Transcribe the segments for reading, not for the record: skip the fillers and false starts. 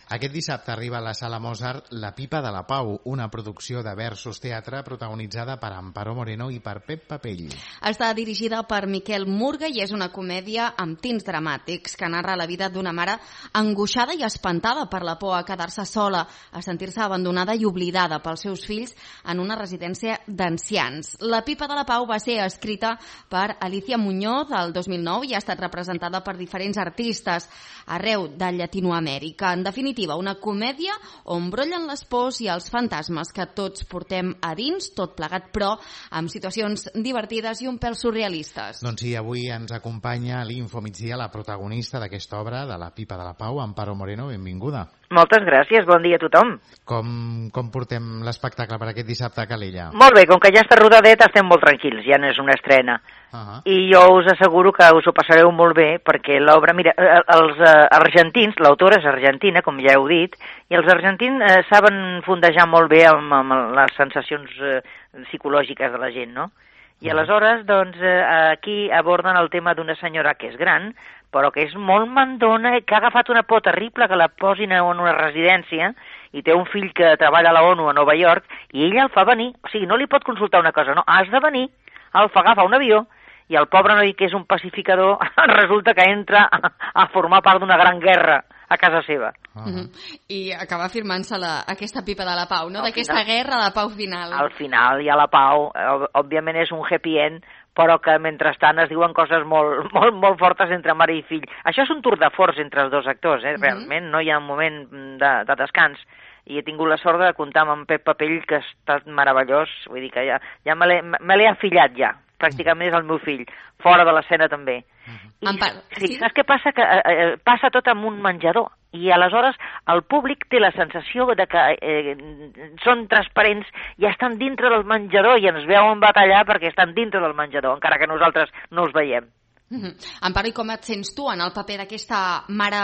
Aquest dissabte arriba a la Sala Mozart La Pipa de la Pau, una producció de Versus Teatre protagonitzada per Amparo Moreno i per Pep Papell. Està dirigida per Miquel Murga i és una comèdia amb tints dramàtics que narra la vida d'una mare angoixada i espantada per la por a quedar-se sola, a sentir-se abandonada i oblidada pels seus fills en una residència d'ancians. La Pipa de la Pau va ser escrita per Alicia Muñoz el 2009 i ha estat representada per diferents artistes arreu de Llatinoamèrica. En definitiva, una comèdia on brollen les pors i els fantasmes que tots portem a dins, tot plegat, però amb situacions divertides i un pèl surrealistes. Doncs sí, avui ens acompanya a l'Info Migdia la protagonista d'aquesta obra, de La Pipa de la Pau, Amparo Moreno. Benvinguda. Moltes gràcies, bon dia a tothom. Com portem l'espectacle per aquest dissabte a Calella? Molt bé, com que ja està rodadet estem molt tranquils, ja no és una estrena. I jo us asseguro que us ho passareu molt bé, perquè l'obra, mira, els argentins, l'autora és argentina, com ja heu dit, i els argentins saben fondejar molt bé amb les sensacions psicològiques de la gent, no? I aleshores, doncs, aquí aborden el tema d'una senyora que és gran, però que és molt mandona, que ha agafat una por terrible, que la posin en una residència, i té un fill que treballa a la ONU a Nova York, i ella el fa venir, o sigui, no li pot consultar una cosa, no, has de venir, el fa agafar un avió, i el pobre noi, que és un pacificador, resulta que entra a formar part d'una gran guerra a casa seva. I acaba firmant-se aquesta Pipa de la Pau, no? D'aquesta guerra de pau final. Al final hi ha la pau, òbviament és un happy end, però que mentrestant es diuen coses molt fortes entre mare i fill. Això és un tour de force entre els dos actors, realment, no hi ha un moment de descans. I he tingut la sort de comptar amb en Pep Papell, que ha estat meravellós, vull dir que ja me l'he afillat ja, pràcticament és el meu fill, fora de l'escena també. Sí, saps què passa? Que passa tot en un menjador, i aleshores el públic té la sensació de que són transparents i estan dintre del menjador i ens veuen batallar perquè estan dintre del menjador, encara que nosaltres no els veiem. Amparo, i com et sents tu en el paper d'aquesta mare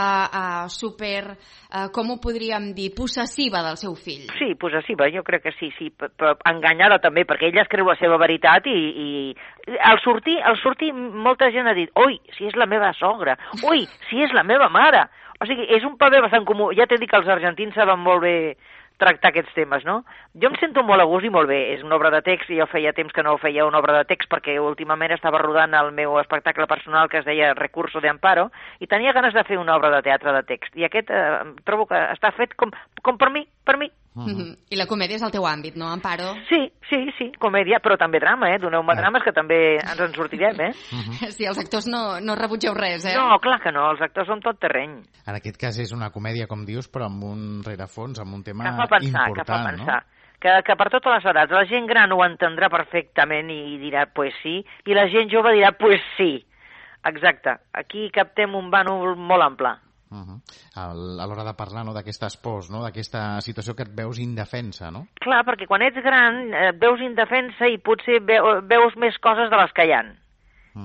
com ho podríem dir, possessiva del seu fill? Sí, possessiva, jo crec que sí, però enganyada també, perquè ella es creu la seva veritat i al sortir molta gent ha dit, ui, si és la meva sogra, ui, si és la meva mare. O sigui, és un paper bastant comú. Ja t'he dit que els argentins saben molt bé tractar aquests temes, no? Jo em sento molt a gust i molt bé. És una obra de text i jo feia temps que no feia una obra de text perquè últimament estava rodant el meu espectacle personal que es deia Recurso de Amparo i tenia ganes de fer una obra de teatre de text. I aquest trobo que està fet com per mi. I la comèdia és el teu àmbit, no, Amparo? Sí, comèdia, però també drama, doneu-me drames que també ens en sortirem, Sí, els actors no rebutgeu res, No, clar que no, els actors són tot terreny. En aquest cas és una comèdia, com dius, però amb un rerefons, amb un tema important, que fa pensar. Que per totes les edats, la gent gran ho entendrà perfectament i dirà, pues sí, i la gent jove dirà, pues sí. Exacte, aquí captem un bànol molt ample. A l'hora de parlar d'aquestes pors, d'aquesta situació que et veus indefensa, no? Clar, perquè quan ets gran et veus indefensa i potser veus més coses de les que hi ha.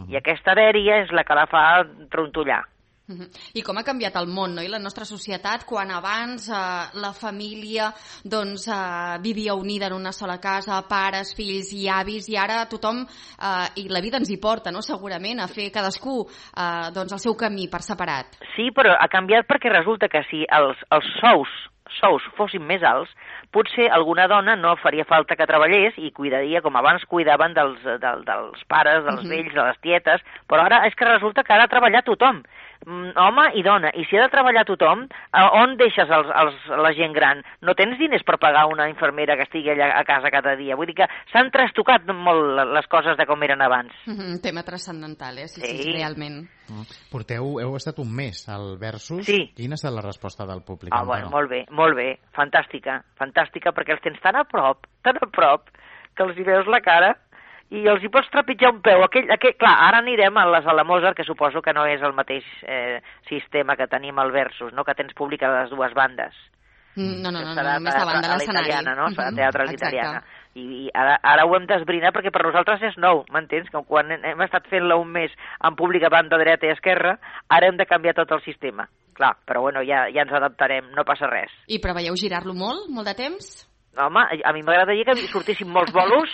I aquesta dèria és la que la fa trontollar. I com ha canviat el món, no? I la nostra societat, quan abans la família vivia unida en una sola casa, pares, fills i avis, i ara tothom, i la vida ens hi porta, no? Segurament, a fer cadascú el seu camí per separat. Sí, però ha canviat perquè resulta que si els sous fossin més alts, potser alguna dona no faria falta que treballés i cuidaria com abans cuidaven dels pares, dels vells, de les tietes, però ara és que resulta que ha de treballar tothom, home i dona, i si ha de treballar tothom, on deixes la gent gran? No tens diners per pagar una infermera que estigui allà a casa cada dia, vull dir que s'han trastocat molt les coses de com eren abans. Tema transcendental, sí, realment. Heu estat un mes al Versus. Sí. Quina ha estat la resposta del públic? Bueno, molt bé, fantàstica, perquè els tens tan a prop, que els hi veus la cara i els hi pots trepitjar un peu. Clar, ara anirem a la Sala Mozart, que suposo que no és el mateix sistema que tenim al Versus, no? Que tens públic a les dues bandes. No, només davant de l'escenari. No? Serà teatre italiana. I ara ho hem d'esbrinar perquè per nosaltres és nou, m'entens? Que quan hem estat fent-la un mes en públic a banda dreta i esquerra, ara hem de canviar tot el sistema. Clar, però bueno, ja ens adaptarem, no passa res. I preveieu girar-lo molt de temps? Home, a mi m'agradaria que sortissin molts bolos.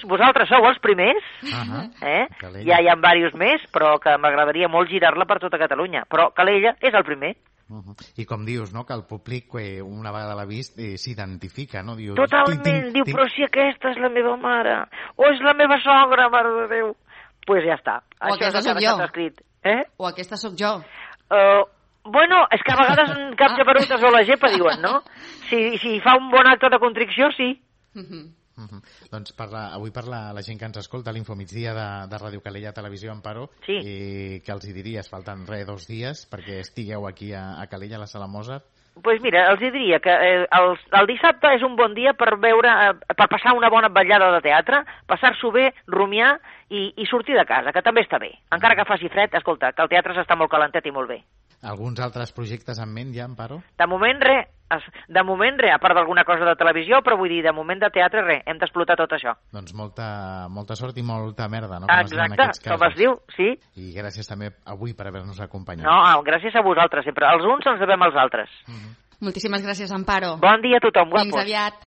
Vosaltres sou els primers, ja hi ha diversos més, però que m'agradaria molt girar-la per tota Catalunya. Però Calella és el primer. I com dius, no?, que el públic, una vegada l'ha vist, s'identifica, no? Diu, totalment, diu, però si aquesta és la meva mare, o és la meva sogra, mare de Déu. Doncs pues ja està. O aquesta sóc jo. O aquesta sóc jo. Bueno, és que a vegades cap japeruta o la gepa diuen, no? Si fa un bon acte de contricció, sí. Doncs avui parla la gent que ens escolta a l'Infomigdia de Ràdio Calella Televisió Amparo, sí. I que els hi diries, falten 2 dies perquè estigueu aquí a Calella, a la Sala Mozart. Doncs mira, els diria que el dissabte és un bon dia per passar una bona vetllada de teatre, passar-s'ho bé, rumiar i sortir de casa, que també està bé. Encara que faci fred, escolta, que el teatre s'està molt calentet i molt bé. Alguns altres projectes en ment ja, Amparo? De moment res, a part d'alguna cosa de televisió, però vull dir, de moment de teatre res, hem d'explotar tot això. Doncs molta sort i molta merda, no? Exacte, com es diu, sí. I gràcies també avui per haver-nos acompanyat. No, gràcies a vosaltres sempre. Els uns ens devem als altres. Moltíssimes gràcies, Amparo. Bon dia a tothom, guapos. Fins aviat.